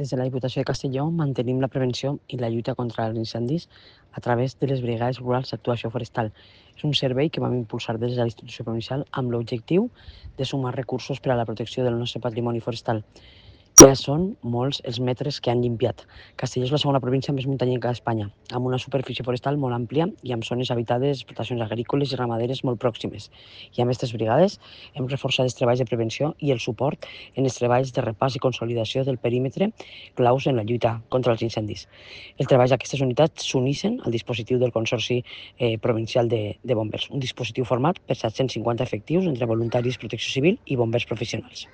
Des de la Diputació de Castelló mantenim la prevenció i la lluita contra els incendis a través de les Brigades Rurals d'Actuació Forestal. És un servei que vam impulsar des de la institució provincial amb l'objectiu de sumar recursos per a la protecció del nostre patrimoni forestal. Ja són molts els metres que han llimpiat. Castelló és la segona província més muntanyenca d'Espanya, amb una superfície forestal molt àmplia i amb zones habitades, explotacions agrícoles i ramaderes molt pròximes. I amb aquestes brigades hem reforçat els treballs de prevenció i el suport en els treballs de repàs i consolidació del perímetre claus en la lluita contra els incendis. El treball d'aquestes unitats s'uneixen al dispositiu del Consorci Provincial de Bombers, un dispositiu format per 750 efectius entre voluntaris, protecció civil i bombers professionals.